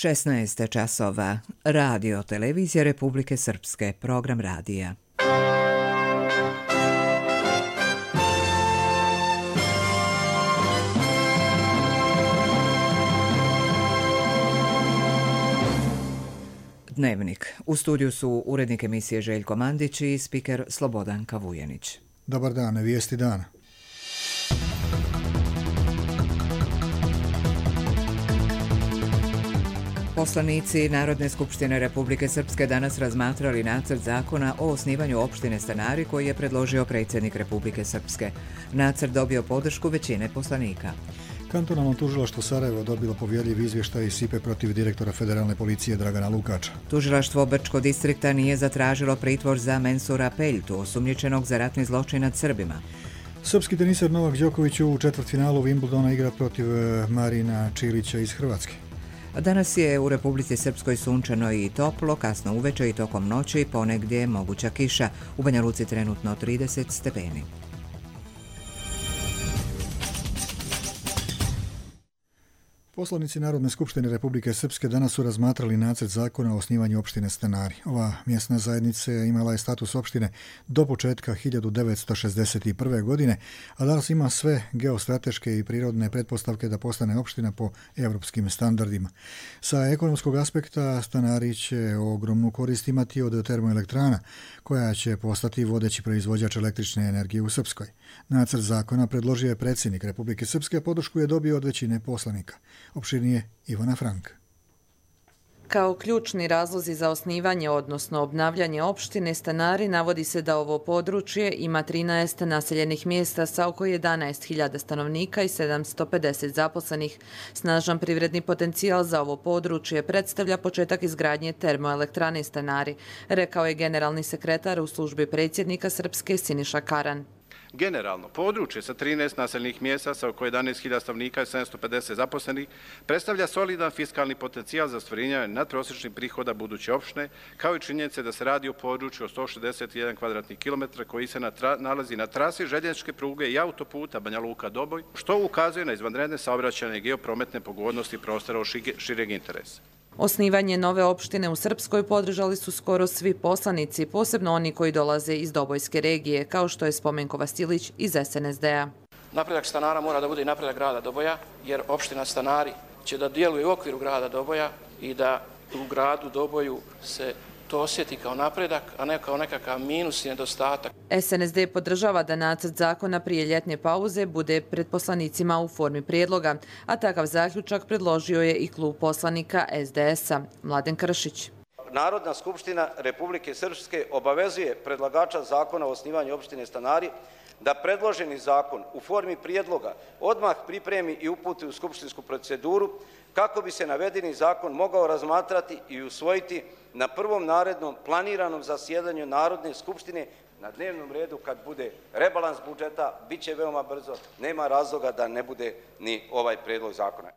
16 časova. Radio Televizija Republike Srpske. Program radija. Dnevnik. U studiju su urednik emisije Željko Mandić i spiker Slobodan Kavujenić. Dobar dan, vijesti dana. Poslanici Narodne skupštine Republike Srpske danas razmatrali nacrt zakona o osnivanju opštine Stanari koji je predložio predsjednik Republike Srpske. Nacrt dobio podršku većine poslanika. Kantonalno tužilaštvo Sarajevo dobilo povjerljiv izvještaj iz SIPE protiv direktora federalne policije Dragana Lukača. Tužilaštvo Brčko distrikta nije zatražilo pritvor za Mensura Peljtu, osumnjičenog za ratni zločin nad Srbima. Srpski teniser Novak Đoković u četvrtfinalu Wimbledona igra protiv Marina Čilića iz Hrvatske. Danas je u Republici Srpskoj sunčano i toplo, kasno uveče i tokom noći ponegdje moguća kiša. U Banja Luci trenutno 30 stepeni. Poslanici Narodne skupštine Republike Srpske danas su razmatrali nacrt zakona o osnivanju opštine Stanari. Ova mjesna zajednica imala je status opštine do početka 1961. godine, a danas ima sve geostrateške i prirodne pretpostavke da postane opština po evropskim standardima. Sa ekonomskog aspekta Stanari će ogromnu korist imati od termoelektrana, koja će postati vodeći proizvođač električne energije u Srpskoj. Nacrt zakona predložio je predsjednik Republike Srpske, a podršku je dobio od većine poslanika. Opširnije Ivana Frank. Kao ključni razlozi za osnivanje, odnosno obnavljanje opštine Stanari, navodi se da ovo područje ima 13 naseljenih mjesta sa oko 11.000 stanovnika i 750 zaposlenih. Snažan privredni potencijal za ovo područje predstavlja početak izgradnje termoelektrane Stanari, rekao je generalni sekretar u službi predsjednika Srpske Siniša Karan. Generalno, područje sa 13 naseljenih mjesta sa oko 11.000 stanovnika i 750 zaposlenih predstavlja solidan fiskalni potencijal za ostvarenje nadprosječnih prihoda buduće opštine, kao i činjenice da se radi o području od 161 kvadratnih kilometra koji se nalazi na trasi željezničke pruge i autoputa Banja Luka-Doboj, što ukazuje na izvanredne saobraćajne i geoprometne pogodnosti prostora od šireg interesa. Osnivanje nove opštine u Srpskoj podržali su skoro svi poslanici, posebno oni koji dolaze iz Dobojske regije, kao što je Spomenko Vasilić iz SNSD-a. Napredak Stanara mora da bude i napredak grada Doboja, jer opština Stanari će da djeluje u okviru grada Doboja i da u gradu Doboju se to osjeti kao napredak, a ne kao nekakav minus i nedostatak. SNSD podržava da nacrt zakona prije ljetne pauze bude pred poslanicima u formi prijedloga, a takav zaključak predložio je i klub poslanika SDS-a. Mladen Kršić. Narodna skupština Republike Srpske obavezuje predlagača zakona o osnivanju opštine Stanari da predloženi zakon u formi prijedloga odmah pripremi i uputi u skupštinsku proceduru kako bi se navedeni zakon mogao razmatrati i usvojiti na prvom narednom planiranom zasjedanju Narodne skupštine na dnevnom redu kad bude rebalans budžeta, bit će veoma brzo, nema razloga da ne bude ni ovaj prijedlog zakona.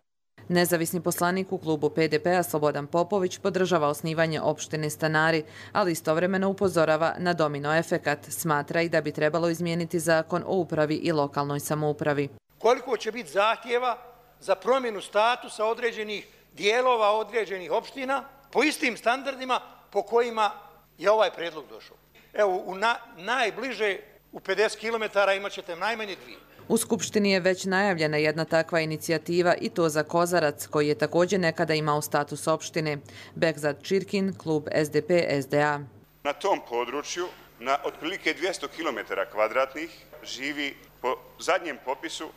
Nezavisni poslanik u klubu PDP-a Slobodan Popović podržava osnivanje opštine Stanari, ali istovremeno upozorava na domino efekat. Smatra i da bi trebalo izmijeniti zakon o upravi i lokalnoj samoupravi. Koliko će biti zahtjeva za promjenu statusa određenih dijelova određenih opština po istim standardima po kojima je ovaj prijedlog došao. Evo, najbliže u 50 km imat ćete najmanje dvije. U Skupštini je već najavljena jedna takva inicijativa i to za Kozarac, koji je također nekada imao status opštine. Bekzad Čirkin, klub SDP-SDA. Na tom području, na otprilike 200 km kvadratnih, živi po zadnjem popisu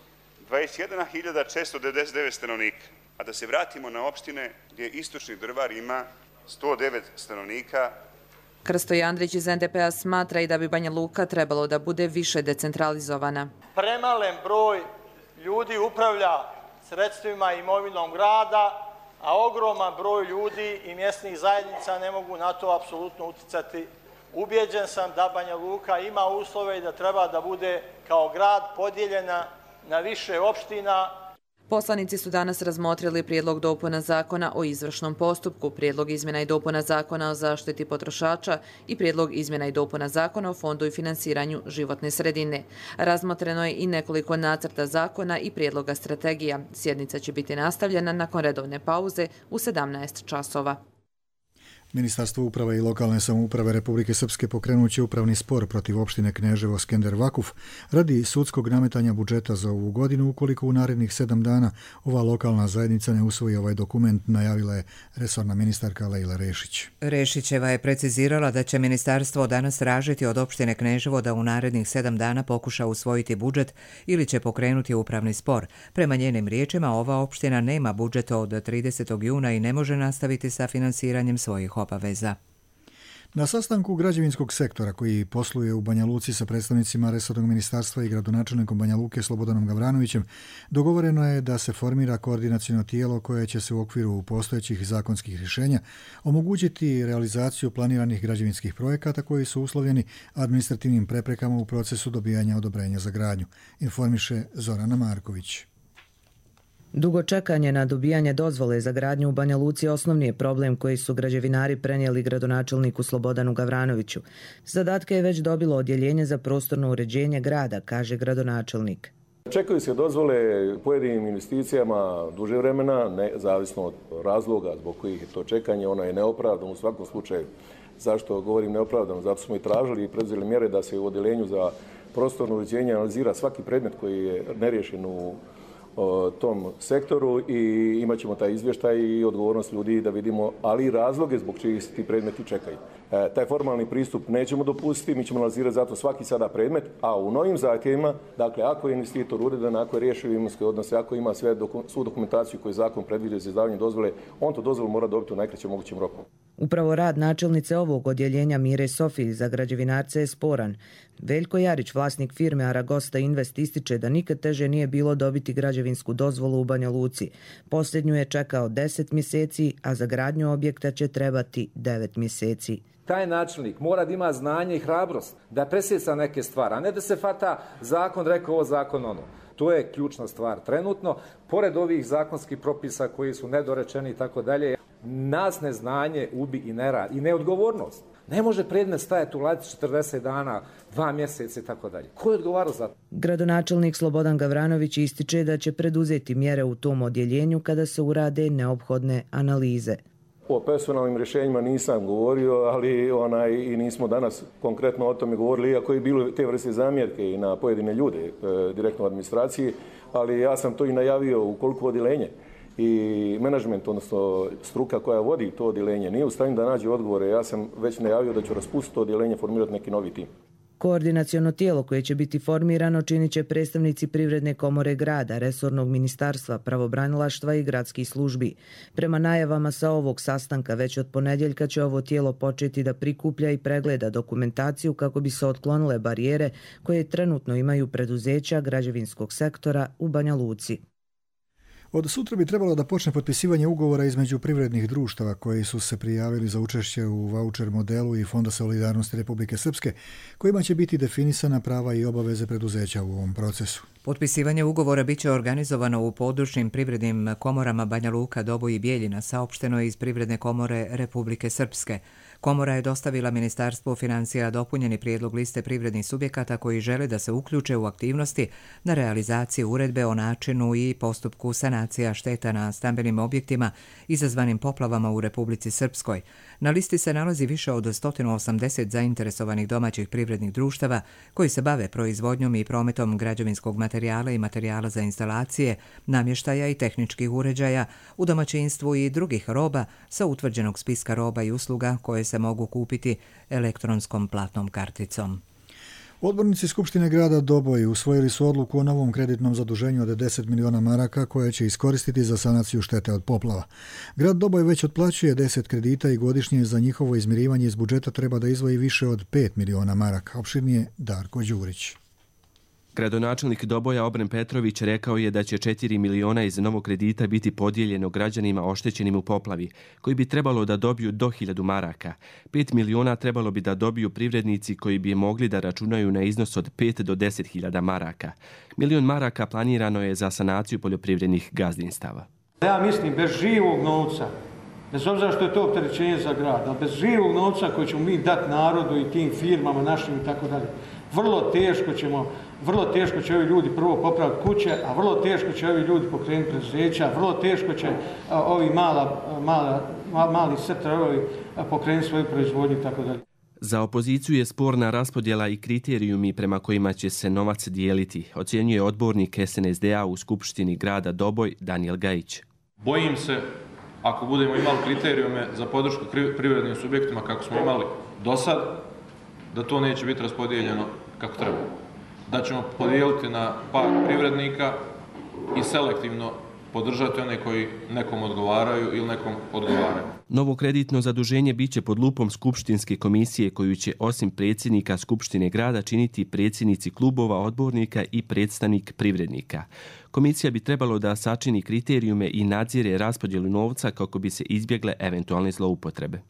21.699 stanovnika. A da se vratimo na opštine gdje Istočni Drvar ima 109 stanovnika. Krsto Andrić iz NDP-a smatra i da bi Banja Luka trebalo da bude više decentralizovana. Premalen broj ljudi upravlja sredstvima i imovinom grada, a ogroman broj ljudi i mjesnih zajednica ne mogu na to apsolutno uticati. Ubjeđen sam da Banja Luka ima uslove i da treba da bude kao grad podijeljena na više opština. Poslanici su danas razmotrili prijedlog dopuna zakona o izvršnom postupku, prijedlog izmjena i dopuna zakona o zaštiti potrošača i prijedlog izmjena i dopuna zakona o fondu i finansiranju životne sredine. Razmotreno je i nekoliko nacrta zakona i prijedloga strategija. Sjednica će biti nastavljena nakon redovne pauze u 17 časova. Ministarstvo uprave i lokalne samouprave Republike Srpske pokrenut će upravni spor protiv opštine Kneževo Skender Vakuf radi sudskog nametanja budžeta za ovu godinu ukoliko u narednih 7 dana ova lokalna zajednica ne usvoji ovaj dokument, najavila je resorna ministarka Lejla Rešić. Rešićeva je precizirala da će ministarstvo danas tražiti od opštine Kneževo da u narednih 7 dana pokuša usvojiti budžet ili će pokrenuti upravni spor. Prema njenim riječima, ova opština nema budžet od 30. juna i ne može nastaviti sa finansiranjem svojih obaveza. Na sastanku građevinskog sektora koji posluje u Banja Luci sa predstavnicima resornog ministarstva i gradonačelnikom Banja Luke Slobodanom Gavranovićem dogovoreno je da se formira koordinaciono tijelo koje će se u okviru postojećih zakonskih rješenja omogućiti realizaciju planiranih građevinskih projekata koji su uslovljeni administrativnim preprekama u procesu dobijanja odobrenja za gradnju, informiše Zorana Marković. Dugo čekanje na dobijanje dozvole za gradnju u Banja Luci osnovni je problem koji su građevinari prenijeli gradonačelniku Slobodanu Gavranoviću. Zadatke je već dobilo odjeljenje za prostorno uređenje grada, kaže gradonačelnik. Čekaju se dozvole pojedinim investicijama duže vremena, zavisno od razloga zbog kojih je to čekanje, ono je neopravdano u svakom slučaju. Zašto govorim neopravdano? Zato smo i tražili i preduzeli mjere da se u odjeljenju za prostorno uređenje analizira svaki predmet koji je neriješen u tom sektoru i imat ćemo taj izvještaj i odgovornost ljudi da vidimo, ali i razloge zbog čega se ti predmeti čekaju. Taj formalni pristup nećemo dopustiti, mi ćemo analizirati zato svaki sada predmet, a u novim zahtjevima, dakle, ako je investitor uredan, ako je riješio imovinske odnose, ako ima svu dokumentaciju koju zakon predviđa za izdavanje dozvole, on to dozvolu mora dobiti u najkraćem mogućem roku. Upravo rad načelnice ovog odjeljenja Mire Sofiji za građevinarce je sporan. Veljko Jarić, vlasnik firme Aragosta Invest, ističe da nikad teže nije bilo dobiti građevinsku dozvolu u Banja Luci. Posljednju je čekao 10 mjeseci, a za gradnju objekta će trebati 9 mjeseci. Taj načelnik mora da ima znanje i hrabrost da presjeca neke stvari, a ne da se fata zakon rekao ovo, zakon ono. To je ključna stvar trenutno. Pored ovih zakonskih propisa koji su nedorečeni i tako dalje, nas neznanje ubi i nerad i neodgovornost. Ne može predmet stajati u ladici 40 dana, 2 mjeseca i tako dalje. Ko je odgovarao za to? Gradonačelnik Slobodan Gavranović ističe da će preduzeti mjere u tom odjeljenju kada se urade neophodne analize. O personalnim rješenjima nisam govorio, ali i nismo danas konkretno o tome govorili, iako je bilo te vrste zamjerke i na pojedine ljude direktno u administraciji, ali ja sam to i najavio ukoliko odjeljenje i menadžment, odnosno struka koja vodi to odjeljenje, nije u stanju da nađe odgovore. Ja sam već najavio da ću raspustiti to odjeljenje, formirati neki novi tim. Koordinaciono tijelo koje će biti formirano činit će predstavnici Privredne komore grada, resornog ministarstva, pravobranilaštva i gradskih službi. Prema najavama sa ovog sastanka već od ponedjeljka će ovo tijelo početi da prikuplja i pregleda dokumentaciju kako bi se otklonile barijere koje trenutno imaju preduzeća građevinskog sektora u Banja Luci. Od sutra bi trebalo da počne potpisivanje ugovora između privrednih društava koji su se prijavili za učešće u vaučer modelu i Fonda solidarnosti Republike Srpske, kojima će biti definisana prava i obaveze preduzeća u ovom procesu. Potpisivanje ugovora biće organizovano u područnim privrednim komorama Banja Luka, Doboj i Bijeljina, saopšteno je iz Privredne komore Republike Srpske. Komora je dostavila Ministarstvu financija dopunjeni prijedlog liste privrednih subjekata koji žele da se uključe u aktivnosti na realizaciji uredbe o načinu i postupku sanacija šteta na stambenim objektima izazvanim poplavama u Republici Srpskoj. Na listi se nalazi više od 180 zainteresovanih domaćih privrednih društava koji se bave proizvodnjom i prometom građevinskog materijala i materijala za instalacije, namještaja i tehničkih uređaja u domaćinstvu i drugih roba sa utvrđenog spiska roba i usluga koje se mogu kupiti elektronskom platnom karticom. Odbornici Skupštine grada Doboj usvojili su odluku o novom kreditnom zaduženju od 10 miliona maraka koje će iskoristiti za sanaciju štete od poplava. Grad Doboj već otplaćuje 10 kredita i godišnje za njihovo izmirivanje iz budžeta treba da izdvoji više od 5 miliona maraka. Opširnije Darko Đurić. Gradonačelnik Doboja Obren Petrović rekao je da će 4 miliona iz novog kredita biti podijeljeno građanima oštećenim u poplavi, koji bi trebalo da dobiju do 1000 maraka. 5 miliona trebalo bi da dobiju privrednici koji bi mogli da računaju na iznos od 5 do 10.000 maraka. 1.000.000 maraka planirano je za sanaciju poljoprivrednih gazdinstava. Ja mislim, bez živog novca, bez obzira što je to opterećenje za grad, ali bez živog novca koji ćemo mi dati narodu i tim firmama našim i tako dalje, vrlo teško će ovi ljudi prvo popraviti kuće, a vrlo teško će ovi ljudi pokrenuti preduzeća, vrlo teško će ovi mali sektori pokrenuti svoju proizvodnju i tako dalje. Za opoziciju je sporna raspodjela i kriterijumi prema kojima će se novac dijeliti, ocjenjuje odbornik SNSD-a u Skupštini grada Doboj Daniel Gajić. Bojim se, ako budemo imali kriterijume za podršku privrednim subjektima kako smo imali do sad, da to neće biti raspodijeljeno kako treba. Da ćemo podijeliti na par privrednika i selektivno podržati one koji nekom odgovaraju ili nekom odgovaraju. Novo kreditno zaduženje biće pod lupom Skupštinske komisije koju će osim predsjednika Skupštine grada činiti predsjednici klubova odbornika i predstavnik privrednika. Komisija bi trebalo da sačini kriterijume i nadzire raspodjelu novca kako bi se izbjegle eventualne zloupotrebe.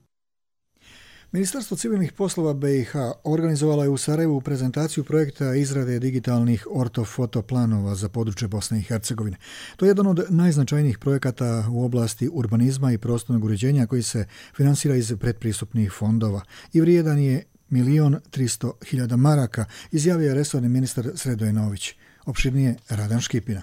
Ministarstvo civilnih poslova BiH organizovala je u Sarajevu prezentaciju projekta izrade digitalnih ortofoto planova za područje Bosne i Hercegovine. To je jedan od najznačajnijih projekata u oblasti urbanizma i prostornog uređenja koji se finansira iz predpristupnih fondova i vrijedan je 1.300.000 maraka, izjavio je resorni ministar Sredoje Nović. Opširnije Radan Škipina.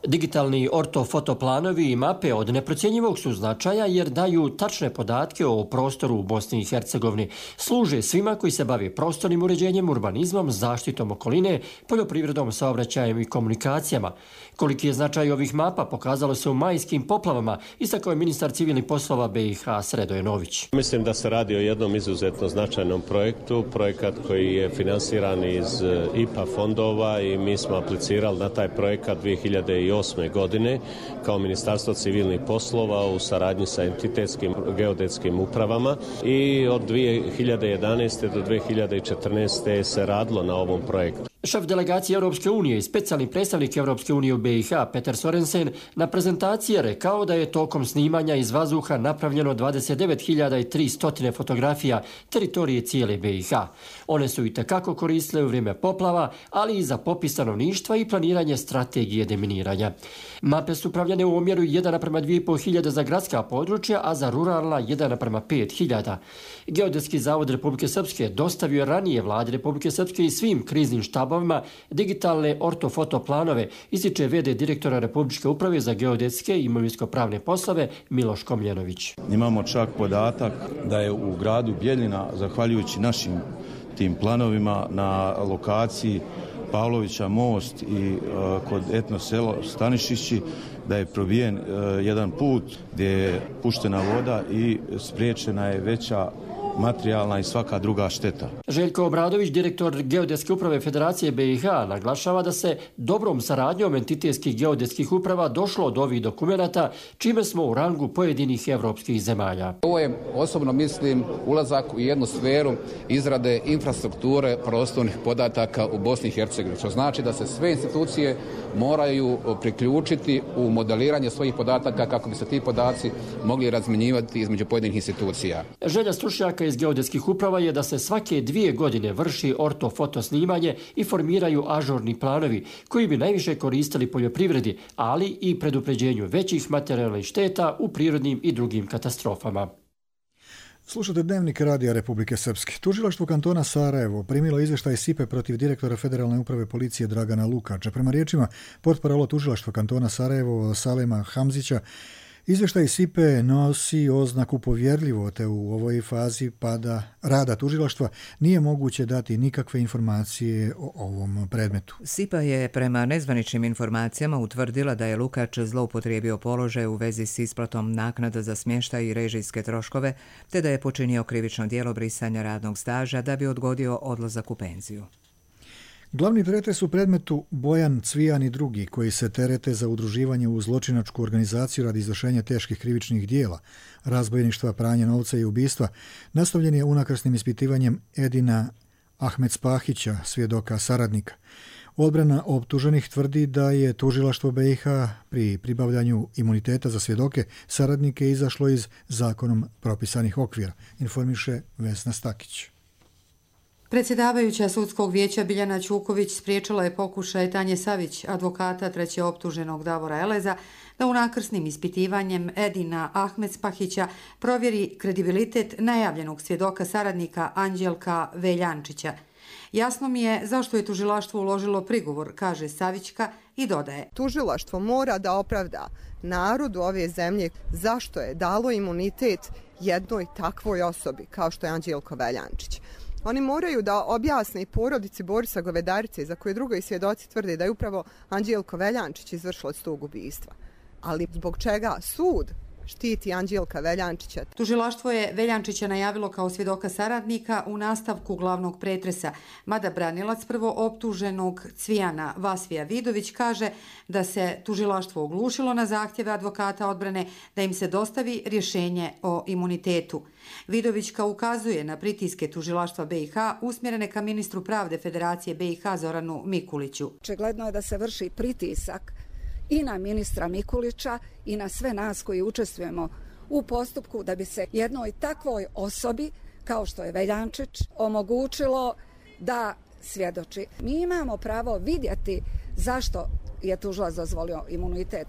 Digitalni ortofotoplanovi i mape od neprocjenjivog su značaja jer daju tačne podatke o prostoru u Bosni i Hercegovini. Služe svima koji se bave prostornim uređenjem, urbanizmom, zaštitom okoline, poljoprivredom, saobraćajem i komunikacijama. Koliki je značaj ovih mapa pokazalo se u majskim poplavama, istakao je ministar civilnih poslova BiH Sredoje Nović. Mislim da se radi o jednom izuzetno značajnom projektu, projekat koji je finansiran iz IPA fondova i mi smo aplicirali na taj projekat 2008. godine kao Ministarstvo civilnih poslova u saradnji sa entitetskim geodetskim upravama i od 2011. do 2014. se radilo na ovom projektu. Šef delegacije Europske unije i specijalni predstavnik Europske unije u BiH Peter Sorensen na prezentaciji je rekao da je tokom snimanja iz vazduha napravljeno 29.300 fotografija teritorije cijele BiH. One su itekako koristile u vrijeme poplava, ali i za popis stanovništva i planiranje strategije deminiranja. Mape su pravljene u omjeru 1:2.500 za gradska područja, a za ruralna 1:5.000. Geodetski zavod Republike Srpske dostavio je ranije vladi Republike Srpske i svim kriznim štabovima digitalne ortofotoplanove, ističe v.d. direktora Republičke uprave za geodetske i imovinsko-pravne poslove Miloš Komljenović. Imamo čak podatak da je u gradu Bjeljina, zahvaljujući našim tim planovima na lokaciji Pavlovića most i kod etno selo Stanišići, da je probijen jedan put gdje je puštena voda i spriječena je veća materijalna i svaka druga šteta. Željko Obradović, direktor Geodetske uprave Federacije BiH, naglašava da se dobrom saradnjom entitetskih geodetskih uprava došlo do ovih dokumenata, čime smo u rangu pojedinih evropskih zemalja. Ovo je, osobno mislim, ulazak u jednu sferu izrade infrastrukture prostornih podataka u Bosni i Hercegovini, što znači da se sve institucije moraju priključiti u modeliranje svojih podataka kako bi se ti podaci mogli razmjenjivati između pojedinih institucija. Želja stručnjaka iz geodetskih uprava je da se svake 2 godine vrši ortofoto snimanje i formiraju ažurni planovi koji bi najviše koristili poljoprivredi, ali i predupređenju većih materijalnih šteta u prirodnim i drugim katastrofama. Slušate Dnevnik Radija Republike Srpske. Tužilaštvo kantona Sarajevo primilo izvještaj SIPE protiv direktora Federalne uprave policije Dragana Lukača. Prema riječima portparola tužilaštva kantona Sarajevo Salema Hamzića, izvještaj SIPE nosi oznaku povjerljivo, te u ovoj fazi rada tužilaštva nije moguće dati nikakve informacije o ovom predmetu. SIPA je prema nezvaničnim informacijama utvrdila da je Lukač zloupotrijebio položaj u vezi s isplatom naknada za smještaj i režijske troškove, te da je počinio krivično djelo brisanja radnog staža da bi odgodio odlazak u penziju. Glavni pretres u predmetu Bojan Cvijan i drugi, koji se terete za udruživanje u zločinačku organizaciju radi izvršenja teških krivičnih dijela, razbojništva, pranja novca i ubistva, nastavljen je unakrsnim ispitivanjem Edina Ahmed Spahića, svjedoka saradnika. Odbrana optuženih tvrdi da je tužilaštvo BiH pri pribavljanju imuniteta za svjedoke saradnike izašlo iz zakonom propisanih okvira, informiše Vesna Stakić. Predsjedavajuća sudskog vijeća Biljana Ćuković spriječila je pokušaj Tanje Savić, advokata treće optuženog Davora Eleza, da unakrsnim ispitivanjem Edina Ahmed Spahića provjeri kredibilitet najavljenog svjedoka saradnika Anđelka Veljančića. Jasno mi je zašto je tužilaštvo uložilo prigovor, kaže Savićka i dodaje. Tužilaštvo mora da opravda narodu ove zemlje zašto je dalo imunitet jednoj takvoj osobi kao što je Anđelko Veljančić. Oni moraju da objasne i porodici Borisa Govedarice, za koje drugi svjedoci tvrde da je upravo Anđelko Veljančić izvršilac tog ubistva. Ali zbog čega sud štiti Anđelka Veljančića? Tužilaštvo je Veljančića najavilo kao svjedoka saradnika u nastavku glavnog pretresa, mada branilac prvo optuženog Cvijana Vasvija Vidović kaže da se tužilaštvo oglušilo na zahtjeve advokata odbrane da im se dostavi rješenje o imunitetu. Vidovićka ukazuje na pritiske tužilaštva BiH usmjerene ka ministru pravde Federacije BiH Zoranu Mikuliću. Očigledno je da se vrši pritisak i na ministra Mikulića i na sve nas koji učestvujemo u postupku da bi se jednoj takvoj osobi kao što je Veljančić omogućilo da svjedoči. Mi imamo pravo vidjeti zašto je tužilac dozvolio imunitet.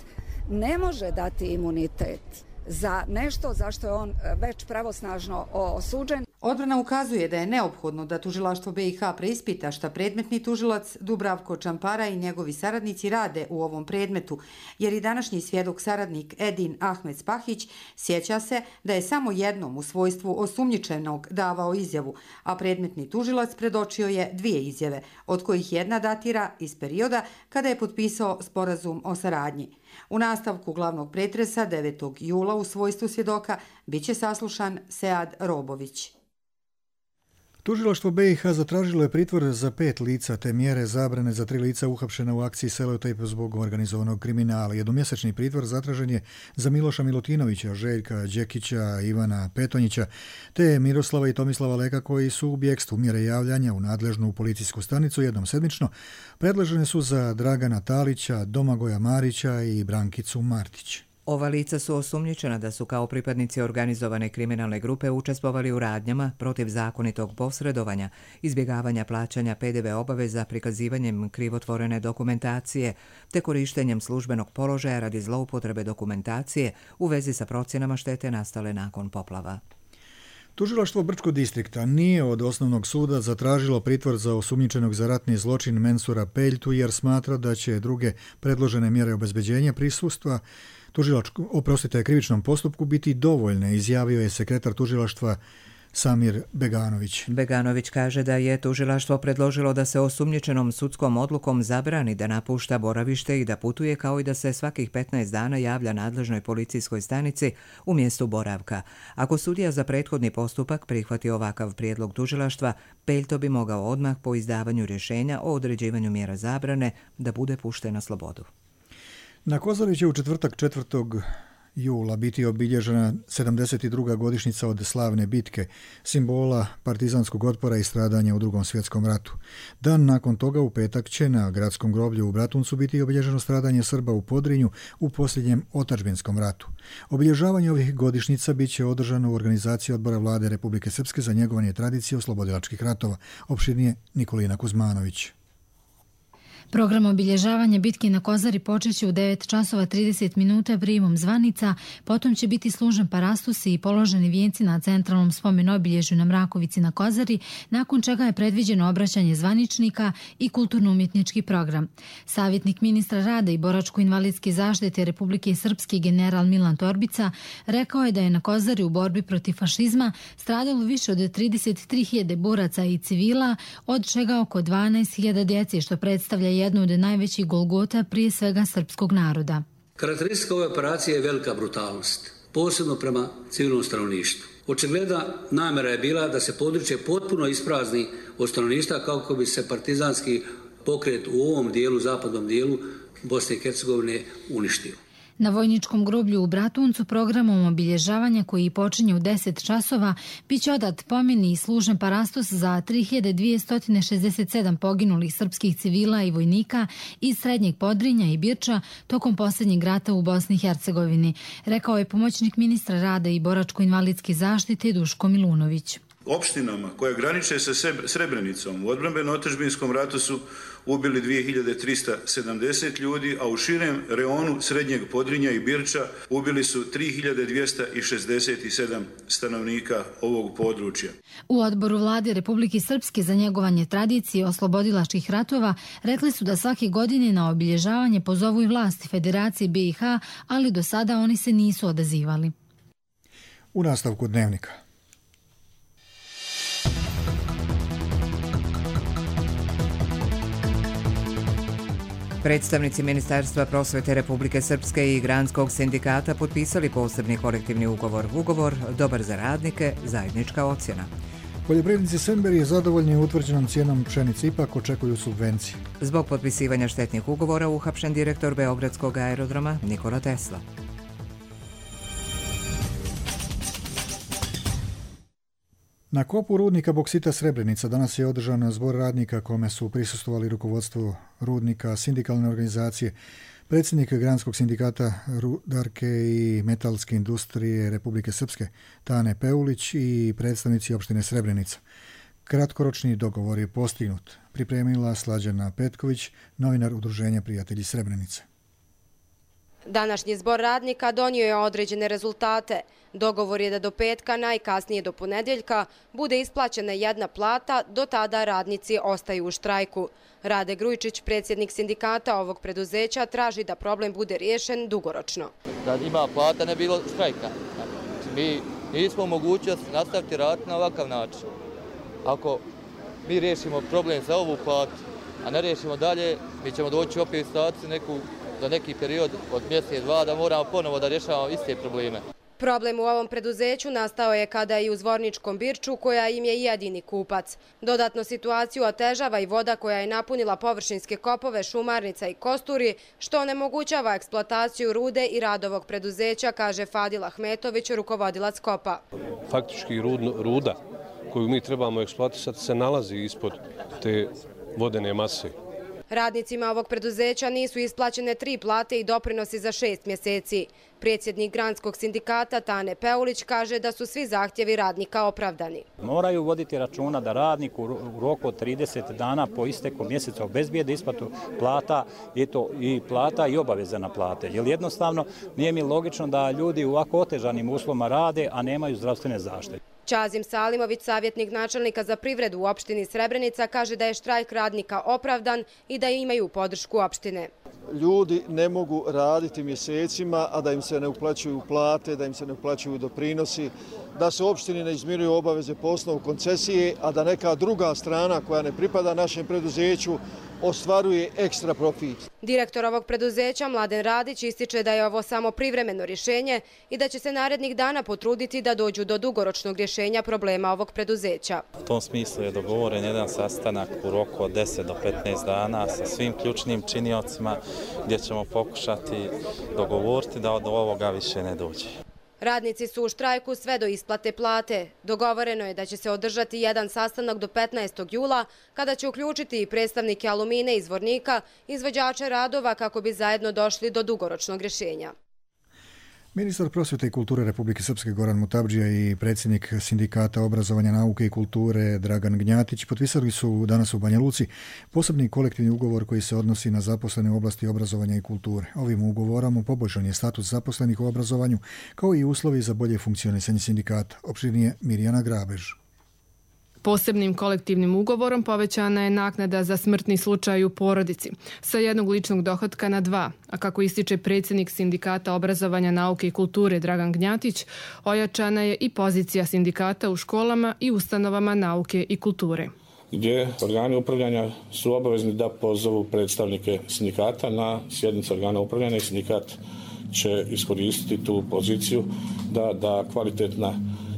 Ne može dati imunitet za nešto za što je on već pravosnažno osuđen. Odbrana ukazuje da je neophodno da tužilaštvo BiH preispita šta predmetni tužilac Dubravko Čampara i njegovi saradnici rade u ovom predmetu, jer i današnji svjedok saradnik Edin Ahmed Spahić sjeća se da je samo jednom u svojstvu osumnjičenog davao izjavu, a predmetni tužilac predočio je 2 izjave, od kojih jedna datira iz perioda kada je potpisao sporazum o saradnji. U nastavku glavnog pretresa 9. jula u svojstvu svjedoka biće saslušan Sead Robović. Tužilaštvo BiH zatražilo je pritvor za 5 lica te mjere zabrane za 3 lica uhapšena u akciji Selotejp zbog organizovanog kriminala. Jednomjesečni pritvor zatražen je za Miloša Milutinovića, Željka Đekića, Ivana Petonjića te Miroslava i Tomislava Leka koji su u bjegstvu. Mjere javljanja u nadležnu policijsku stanicu jednom sedmično predložene su za Dragana Talića, Domagoja Marića i Brankicu Martić. Ova lica su osumnjičena da su kao pripadnici organizovane kriminalne grupe učestvovali u radnjama protiv zakonitog posredovanja, izbjegavanja plaćanja PDV obaveza prikazivanjem krivotvorene dokumentacije te korištenjem službenog položaja radi zloupotrebe dokumentacije u vezi sa procjenama štete nastale nakon poplava. Tužilaštvo Brčkog distrikta nije od osnovnog suda zatražilo pritvor za osumnjičenog za ratni zločin Mensura Peljtu jer smatra da će druge predložene mjere obezbeđenja prisustva krivičnom postupku biti dovoljne, izjavio je sekretar tužilaštva Samir Beganović. Beganović kaže da je tužilaštvo predložilo da se osumnjičenom sudskom odlukom zabrani da napušta boravište i da putuje, kao i da se svakih 15 dana javlja nadležnoj policijskoj stanici u mjestu boravka. Ako sudija za prethodni postupak prihvati ovakav prijedlog tužilaštva, Peljto bi mogao odmah po izdavanju rješenja o određivanju mjera zabrane da bude pušten na slobodu. Na Kozari će u četvrtak 4. jula biti obilježena 72. godišnjica od slavne bitke, simbola partizanskog otpora i stradanja u Drugom svjetskom ratu. Dan nakon toga u petak će na gradskom groblju u Bratuncu biti obilježeno stradanje Srba u Podrinju u posljednjem otadžbinskom ratu. Obilježavanje ovih godišnjica bit će održano u organizaciji Odbora vlade Republike Srpske za njegovanje tradicije oslobodilačkih ratova. Opširnije Nikolina Kuzmanović. Program obilježavanja bitke na Kozari počeće u 9 časova 30 minuta prijemom zvanica, potom će biti služen parastusi i položeni vijenci na centralnom spomen obilježju na Mrakovici na Kozari, nakon čega je predviđeno obraćanje zvaničnika i kulturno-umjetnički program. Savjetnik ministra rada i boračko-invalidske zaštite Republike Srpske general Milan Torbica rekao je da je na Kozari u borbi protiv fašizma stradalo više od 33.000 boraca i civila, od čega oko 12.000 djece, što predstavlja jednu od najvećih golgota prije svega srpskog naroda. Karakteristika ove operacije je velika brutalnost, posebno prema civilnom stanovništvu. Očigledna namjera je bila da se područje potpuno isprazni od stanovništva kako bi se partizanski pokret u ovom dijelu, zapadnom dijelu Bosne i Hercegovine uništio. Na vojničkom groblju u Bratuncu programom obilježavanja koji počinje u 10 časova biće odat pomen i služen parastos za 3267 poginulih srpskih civila i vojnika iz Srednjeg Podrinja i Birča tokom posljednjeg rata u Bosni i Hercegovini, rekao je pomoćnik ministra rada i boračko-invalidske zaštite Duško Milunović. Opštinama koje graniče sa Srebrenicom u odbrambeno-otadžbinskom ratu su ubili 2370 ljudi, a u širem reonu Srednjeg Podrinja i Birča ubili su 3267 stanovnika ovog područja. U odboru vlade Republike Srpske za njegovanje tradicije oslobodilačkih ratova rekli su da svake godine na obilježavanje pozovu i vlasti Federacije BiH, ali do sada oni se nisu odazivali. U nastavku dnevnika. Predstavnici Ministarstva prosvete Republike Srpske i Granskog sindikata potpisali posebni kolektivni ugovor. Ugovor dobar za radnike, zajednička ocjena. Poljoprivrednici Sember je zadovoljni utvrđenom cijenom pšenice, ipak očekuju subvencije. Zbog potpisivanja štetnih ugovora uhapšen direktor Beogradskog aerodroma Nikola Tesla. Na kopu rudnika boksita Srebrenica danas je održan zbor radnika kome su prisustvovali rukovodstvo rudnika, sindikalne organizacije, predsjednik Granskog sindikata rudarke i metalske industrije Republike Srpske Tane Peulić i predstavnici opštine Srebrenica. Kratkoročni dogovor je postignut, pripremila Slađana Petković, novinar Udruženja prijatelji Srebrenice. Današnji zbor radnika donio je određene rezultate. Dogovor je da do petka, najkasnije do ponedjeljka, bude isplaćena jedna plata, do tada radnici ostaju u štrajku. Rade Grujičić, predsjednik sindikata ovog preduzeća, traži da problem bude riješen dugoročno. Da ima plata ne bilo štrajka. Mi nismo u mogućnosti nastaviti raditi na ovakav način. Ako mi riješimo problem za ovu platu, a ne riješimo dalje, mi ćemo doći opet u situaciju za neki period od mjesec, dva, da moramo ponovo da rješavamo iste probleme. Problem u ovom preduzeću nastao je kada i u Zvorničkom Birču, koja im je jedini kupac. Dodatno situaciju otežava i voda koja je napunila površinske kopove Šumarnica i Kosturi, što onemogućava eksploataciju rude i rad ovog preduzeća, kaže Fadil Ahmetović, rukovodilac kopa. Faktički ruda koju mi trebamo eksploatisati se nalazi ispod te vodene mase. Radnicima ovog preduzeća nisu isplaćene 3 plate i doprinosi za 6 mjeseci. Predsjednik Granskog sindikata Tane Peulić kaže da su svi zahtjevi radnika opravdani. Moraju voditi računa da radnik u roku od 30 dana po isteku mjeseca obezbijede isplatu plata i plata i obaveze na plate. Jer jednostavno nije mi logično da ljudi u ovako otežanim uslovima rade, a nemaju zdravstvene zaštite. Ćazim Salimović, savjetnik načelnika za privredu u opštini Srebrenica, kaže da je štrajk radnika opravdan i da imaju podršku opštine. Ljudi ne mogu raditi mjesecima, a da im se ne uplaćuju plate, da im se ne uplaćuju doprinosi, da se opštini ne izmiruju obaveze po osnovu koncesije, a da neka druga strana koja ne pripada našem preduzeću ostvaruje ekstra profit. Direktor ovog preduzeća Mladen Radić ističe da je ovo samo privremeno rješenje i da će se narednih dana potruditi da dođu do dugoročnog rješenja problema ovog preduzeća. U tom smislu je dogovoren jedan sastanak u roku od 10 do 15 dana sa svim ključnim činiocima gdje ćemo pokušati dogovoriti da od ovoga više ne dođe. Radnici su u štrajku sve do isplate plate. Dogovoreno je da će se održati jedan sastanak do 15. jula, kada će uključiti i predstavnike Alumine iz Zvornika, izvođače radova, kako bi zajedno došli do dugoročnog rješenja. Ministar prosvjete i kulture Republike Srpske Goran Mutabdžija i predsjednik sindikata obrazovanja, nauke i kulture Dragan Gnjatić potpisali su danas u Banja Luci posebni kolektivni ugovor koji se odnosi na zaposlene u oblasti obrazovanja i kulture. Ovim ugovorom poboljšan je status zaposlenih u obrazovanju, kao i uslovi za bolje funkcionisanje sindikata. Opširnije Mirjana Grabež. Posebnim kolektivnim ugovorom povećana je naknada za smrtni slučaj u porodici sa 1 ličnog dohotka na 2, a kako ističe predsjednik sindikata obrazovanja, nauke i kulture Dragan Gnjatić, ojačana je i pozicija sindikata u školama i ustanovama nauke i kulture. Gdje organi upravljanja su obavezni da pozovu predstavnike sindikata na sjednicu organa upravljanja i sindikat će iskoristiti tu poziciju da kvalitetna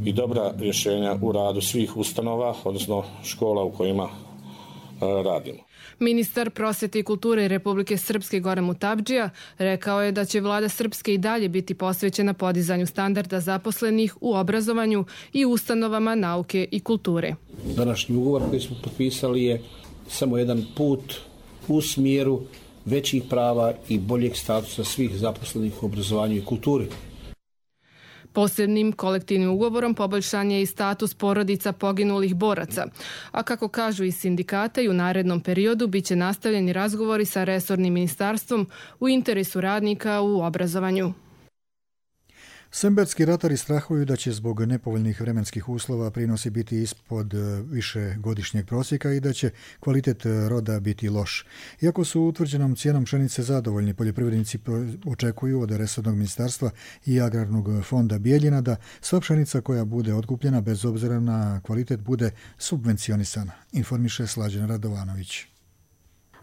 i dobra rješenja u radu svih ustanova, odnosno škola u kojima radimo. Ministar prosvete i kulture Republike Srpske Goran Mutavdžija rekao je da će vlada Srpske i dalje biti posvećena podizanju standarda zaposlenih u obrazovanju i ustanovama nauke i kulture. Današnji ugovor koji smo potpisali je samo jedan put u smjeru većih prava i boljeg statusa svih zaposlenih u obrazovanju i kulturi. Posebnim kolektivnim ugovorom poboljšan je i status porodica poginulih boraca, a kako kažu iz sindikata i u narednom periodu biće nastavljeni razgovori sa resornim ministarstvom u interesu radnika u obrazovanju. Semberski ratari strahuju da će zbog nepovoljnih vremenskih uslova prinosi biti ispod višegodišnjeg prosjeka i da će kvalitet roda biti loš. Iako su utvrđenom cijenom pšenice zadovoljni, poljoprivrednici očekuju od resornog ministarstva i agrarnog fonda Bijeljina da sva pšenica koja bude otkupljena bez obzira na kvalitet bude subvencionisana, informiše Slađana Radovanović.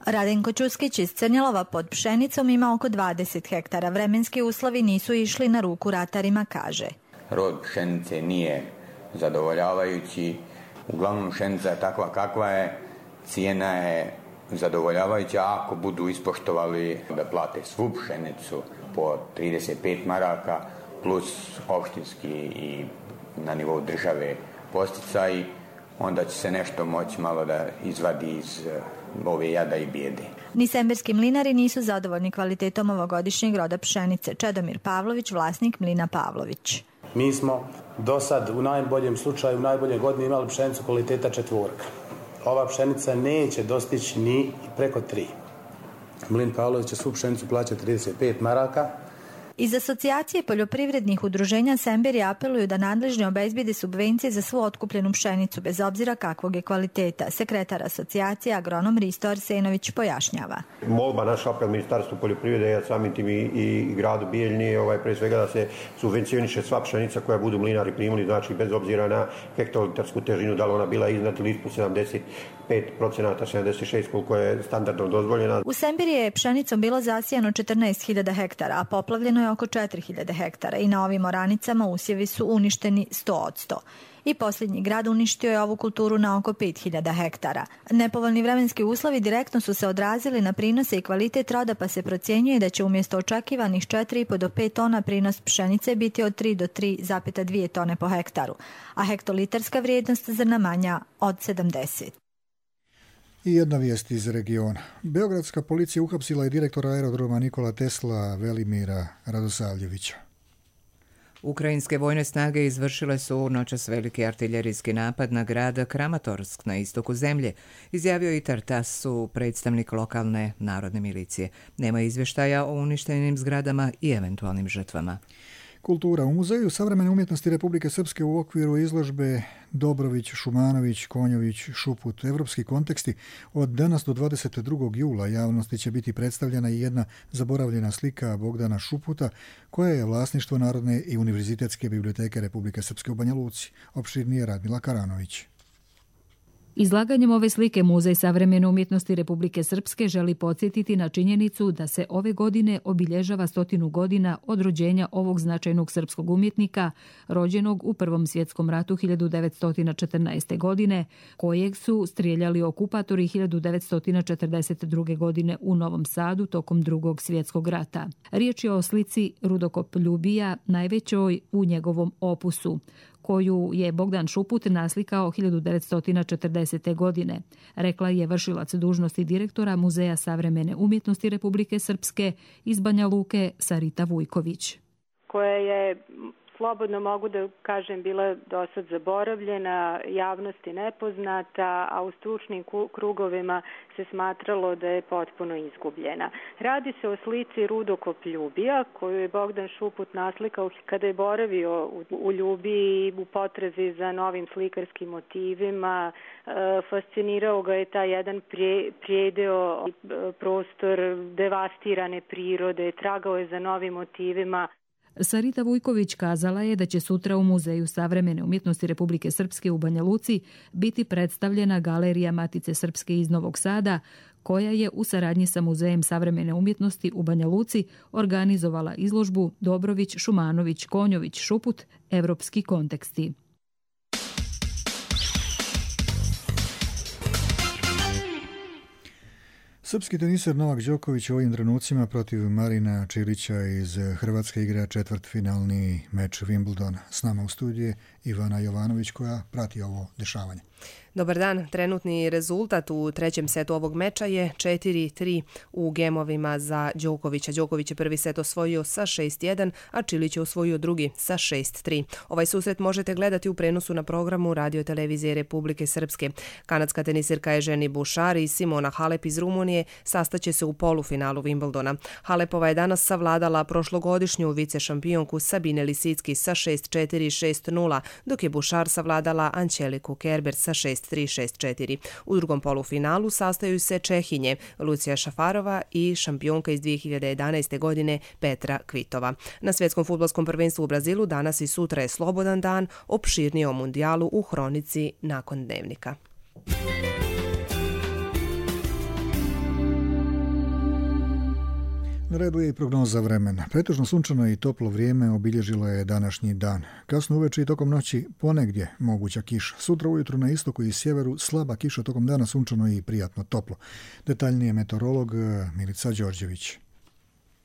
Radenko Ćuskić iz Crnjelova pod pšenicom ima oko 20 hektara. Vremenski uslovi nisu išli na ruku ratarima, kaže. Rod pšenice nije zadovoljavajući. Uglavnom pšenica je takva kakva je. Cijena je zadovoljavajuća ako budu ispoštovali da plate svu pšenicu po 35 maraka plus opštinski i na nivou države posticaji. Onda će se nešto moći malo da izvadi iz ove jada i bijede. Ni semberski mlinari nisu zadovoljni kvalitetom ovogodišnjeg roda pšenice. Čedomir Pavlović, vlasnik mlina Pavlović. Mi smo do sad u najboljem slučaju, u najbolje godine imali pšenicu kvaliteta 4. Ova pšenica neće dostići ni preko 3. Mlin Pavlović će svu pšenicu plaćati 35 maraka. Iz asocijacije poljoprivrednih udruženja Semberi apeluju da nadležni obezbijede subvencije za svu otkupljenu pšenicu bez obzira kakvog je kvaliteta. Sekretar asocijacije agronom Risto Arsenović pojašnjava. Molba naša apel Ministarstvu poljoprivrede, a samim tim i gradu Bijeljni, pre svega da se subvencioniše sva pšenica koja budu mlinari primili, znači bez obzira na hektolitarsku težinu, da li ona bila iznad ili ispod 75%, 76% koliko je standardno dozvoljena. U Semberi je pšenicom bilo zasijano 14.000 hektara, a poplavljeno je oko 4.000 hektara i na ovim oranicama usjevi su uništeni 100%. I posljednji grad uništio je ovu kulturu na oko 5.000 hektara. Nepovoljni vremenski uslovi direktno su se odrazili na prinose i kvalitet roda, pa se procjenjuje da će umjesto očekivanih 4,5 do 5 tona prinos pšenice biti od 3 do 3,2 tone po hektaru, a hektolitarska vrijednost zrna manja od 70. I jedna vijest iz regiona. Beogradska policija uhapsila je direktora aerodroma Nikola Tesla Velimira Radosavljevića. Ukrajinske vojne snage izvršile su noćas veliki artiljerijski napad na grad Kramatorsk na istoku zemlje, izjavio i Tartasu, predstavnik lokalne narodne milicije. Nema izvještaja o uništenim zgradama i eventualnim žrtvama. Kultura. U Muzeju savremene umjetnosti Republike Srpske u okviru izložbe Dobrović, Šumanović, Konjović, Šuput, evropski konteksti od danas do 22. jula javnosti će biti predstavljena i jedna zaboravljena slika Bogdana Šuputa koja je vlasništvo Narodne i univerzitetske biblioteke Republike Srpske u Banja Luci. Opširnije Radmila Karanović. Izlaganjem ove slike Muzej savremene umjetnosti Republike Srpske želi podsjetiti na činjenicu da se ove godine obilježava 100 godina od rođenja ovog značajnog srpskog umjetnika, rođenog u Prvom svjetskom ratu 1914. godine, kojeg su strijeljali okupatori 1942. godine u Novom Sadu tokom Drugog svjetskog rata. Riječ je o slici Rudokop Ljubija, najvećoj u njegovom opusu, koju je Bogdan Šuput naslikao 1940. godine, rekla je vršilac dužnosti direktora Muzeja savremene umjetnosti Republike Srpske iz Banja Luke Sarita Vujković. Koja je, slobodno mogu da kažem, bila dosad zaboravljena, javnosti nepoznata, a u stručnim krugovima se smatralo da je potpuno izgubljena. Radi se o slici Rudokop Ljubija, koju je Bogdan Šuput naslikao kada je boravio u Ljubiji u potrazi za novim slikarskim motivima. Fascinirao ga je taj jedan prijedeo, prostor devastirane prirode, tragao je za novim motivima. Sarita Vujković kazala je da će sutra u Muzeju savremene umjetnosti Republike Srpske u Banja Luci biti predstavljena galerija Matice Srpske iz Novog Sada, koja je u saradnji sa Muzejem savremene umjetnosti u Banja Luci organizovala izložbu Dobrović, Šumanović, Konjović, Šuput, evropski konteksti. Srpski teniser Novak Đoković u ovim trenucima protiv Marina Čilića iz Hrvatske igra četvrtfinalni meč Wimbledona. S nama u studiju Ivana Jovanović koja prati ovo dešavanje. Dobar dan, trenutni rezultat u trećem setu ovog meča je 4-3 u gemovima za Đokovića. Đoković je prvi set osvojio sa 6-1, a Čilić je osvojio drugi sa 6-3. Ovaj susret možete gledati u prenosu na programu Radio televizije Republike Srpske. Kanadska tenisirka Eženi Bušar i Simona Halep iz Rumunije sastaće se u polufinalu Wimbledona. Halepova je danas savladala prošlogodišnju vice šampionku Sabine Lisicki sa 6-4 i 6-0, dok je Bušar savladala Ančeliku Kerber sa 6-3 6-4. U drugom polufinalu sastaju se Čehinje Lucija Šafarova i šampionka iz 2011. godine Petra Kvitova. Na svjetskom fudbalskom prvenstvu u Brazilu danas i sutra je slobodan dan, opširnije o mundijalu u hronici nakon dnevnika. Na redu je i prognoza vremena. Pretežno sunčano i toplo vrijeme obilježilo je današnji dan. Kasno uveče i tokom noći ponegdje moguća kiša. Sutra ujutru na istoku i sjeveru slaba kiša, tokom dana sunčano i prijatno toplo. Detaljnije meteorolog Milica Đorđević.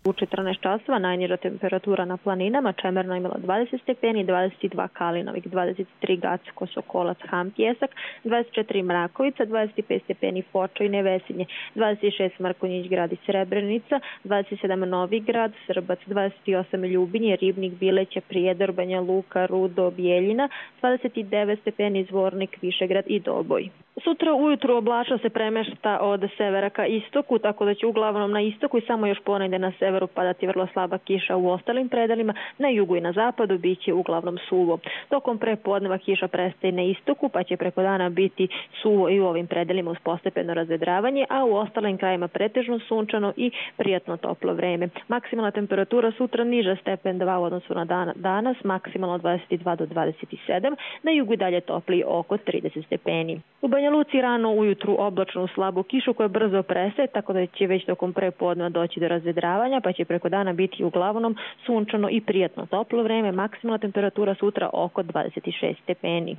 U 14 časova najniža temperatura na planinama Čemerno imala 20 stepeni, 22 Kalinovik, 23 Gacko, Sokolac, Ham, Pjesak, 24 Mrakovica, 25 stepeni Foča i Nevesinje, 26 Mrkonjić grad i Srebrenica, 27 Novi grad, Srbac, 28 Ljubinje, Ribnik, Bileća, Prijedor, Banja Luka, Rudo, Bijeljina, 29 stepeni Zvornik, Višegrad i Doboj. Sutra ujutru oblačno se premešta od severa ka istoku, tako da će uglavnom na istoku i samo još ponegdje na severu padati vrlo slaba kiša u ostalim predelima, na jugu i na zapadu bit će uglavnom suvo. Tokom prepodneva kiša prestaje na istoku, pa će preko dana biti suvo i u ovim predelima uz postepeno razvedravanje, a u ostalim krajima pretežno sunčano i prijatno toplo vreme. Maksimalna temperatura sutra niža stepen 2 u odnosu na danas, maksimalno 22 do 27, na jugu i dalje topli oko 30 stepeni. U Banja Luci rano ujutru oblačnu slabu kišu koja brzo prestaje, tako da će već tokom prepodneva doći do razvedravanja, pa će preko dana biti uglavnom sunčano i prijatno toplo vreme, maksimalna temperatura sutra oko 26 stepeni.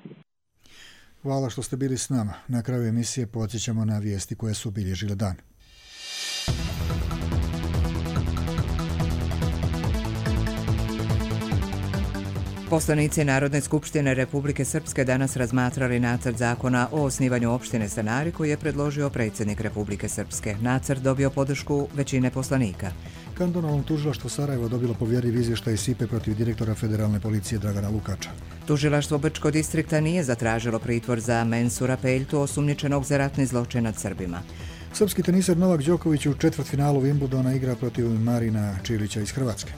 Hvala što ste bili s nama. Na kraju emisije podsjećamo na vijesti koje su obilježile dan. Poslanici Narodne skupštine Republike Srpske danas razmatrali nacrt zakona o osnivanju opštine Stanari koji je predložio predsjednik Republike Srpske. Nacrt dobio podršku većine poslanika. Kantonalno tužilaštvo Sarajevo dobilo povjerljiv izvještaj SIPE protiv direktora Federalne policije Dragana Lukača. Tužilaštvo Brčkog distrikta nije zatražilo pritvor za Mensura Peljtu, osumnjičenog za ratni zločin nad Srbima. Srpski teniser Novak Đoković u četvrtfinalu Wimbledona igra protiv Marina Čilića iz Hrvatske.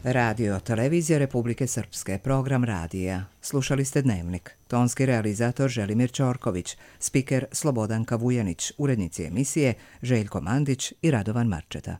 Radio televizija Republike Srpske, program radija. Slušali ste Dnevnik. Tonski realizator Želimir Ćorković, spiker Slobodanka Vujanić, urednici emisije Željko Mandić i Radovan Marčeta.